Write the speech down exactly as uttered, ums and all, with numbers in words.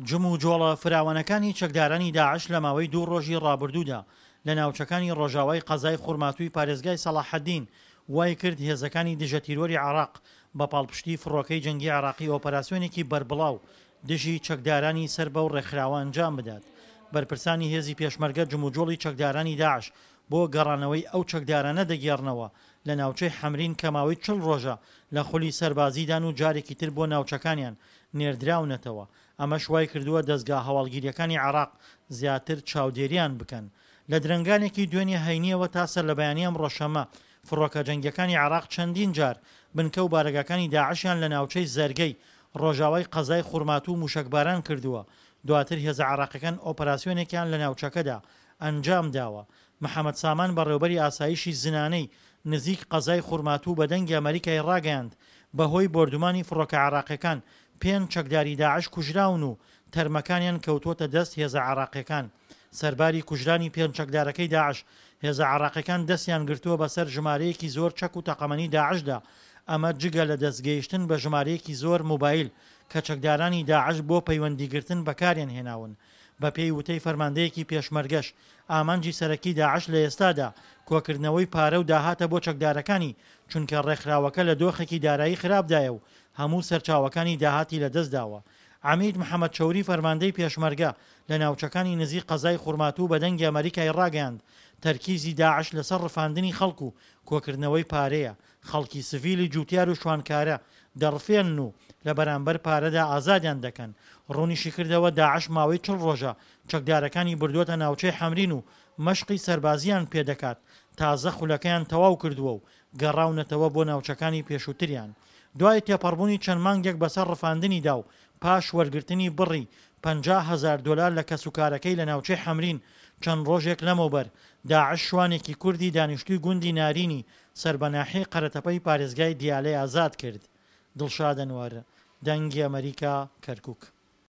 جموجۆڵە فراوانەکانی چەکدارانی داعش لە ماوەی دوو ڕۆژی ڕابردوودا لە ناوچەکانی ڕۆژاوای قەزای خورماتووی پارێزگای سەڵاحەدین وایکرد هێزەکانی دژەتیرۆری عێراق بە پاڵپشتی فڕۆکەی جەنگی عێراقی ئۆپەراسیۆنێکی بەربڵاو دژی چەکدارانی سەر بەو ڕێکخراوە ئەنجام بدات. بەرپرسانی هێزی پێشمەرگە جموجۆڵی چەکدارانی داعش بۆ گەڕانەوەی ئەو چەکدارانە دەگێڕنەوە لە ناوچەی حەمرین کە ماوەی چل ڕۆژە لە خولی سەربازیدان و جارێکی تر بۆ ناوچەکانیان نێردراونەتەوە، ئەمەش وایکردووە دەزگا هەواڵگیرییەکانی عێراق زیاتر چاودێریان بکەن. لە درەنگانێکی دوێنێ هەینییەوە تا سەرلەبەیانی ئەمڕۆ شەممە، فڕۆکە جەنگییەکانی عێراق چەندین جار بنکە و بارەگاکانی داعشیان لە ناوچەی زەرگەی ڕۆژاوای قەزای خورماتوو مووشەکباران کردووە، دواتر هێزە عێراقیەکان ئۆپەراسیۆنێکیان لە ناوچەکەدا ئەنجامداوە. محەمەد سامان بەڕێوبەری ئاسایشی زنانەی نزیک قەزای خورماتوو بە دەنگی ئەمەریکای ڕاگەیاند بەهۆی بۆردومانی فڕۆکە عێراقیەکان پێنج چەکداری داعش کوژراون و تەرمەکانیان کەوتووەتە دەست هێزە عێراقیەکان. سەرباری کوژرانی پێنج چەکدارەکەی داعش، هێزە عێراقیەکان دەستیان گرتووە بەسەر ژمارەیەکی زۆر چەک و تەقەمەنی داعشدا، ئەمە جگە لە دەستگەیشتن بە ژمارەیەکی زۆر مۆبایل کە چەکدارانی داعش بۆ پەیوەندیگرتن بەکاریان هێناون. بەپێی وتەی فەرماندەیەکی پێشمەرگەش، ئامانجی سەرەکی داعش لە ئێستادا کۆکردنەوەی پارە و داهاتە بۆ چەکدارەکانی، چونکە ڕێکخراوەکە لە دۆخێکی دارایی خراپدایە و هەموو سەرچاوەکانی داهاتی لەدەستداوە. عەمید محەمەد چەوری فەرماندەی پێشمەرگە لە ناوچەکانی نزیک قەزای خورماتوو بە دەنگی ئەمەریکای ڕاگەیاند، تەرکیزی داعش لەسەر ڕفاندنی خەڵک و کۆکردنەوەی پارەیە، خەڵکی سڤیلی جوتیار و شوانکارە دەڕفێنن و لە بەرامبەر پارەدا ئازادیان دەکەن. ڕوونیشیکردەوە، داعش ماوەی چل ڕۆژە چەکدارەکانی بردووەتە ناوچەی حەمرین و مەشقی سەربازییان پێدەکات، تازە خولەکەیان تەواو کردووە و گەڕاونەتەوە بۆ ناوچەکانی پێشووتریان. دوای تێپەڕبوونی چەند مانگێک بەسەر ڕفاندنیدا و پاش وەرگرتنی بڕی پەنجا هەزار دۆلار لە کەسوکارەکەی لە ناوچەی حەمرین، چەند ڕۆژێک لەمەوبەر داعش شوانێکی کوردی دانیشتووی گوندی نارینی سەر بە ناحیەی قەرەتەپەی پارێزگای دیالەی ئازاد کرد. دڵشاد ئەنوەر، دەنگی ئەمەریکا، کەرکوک.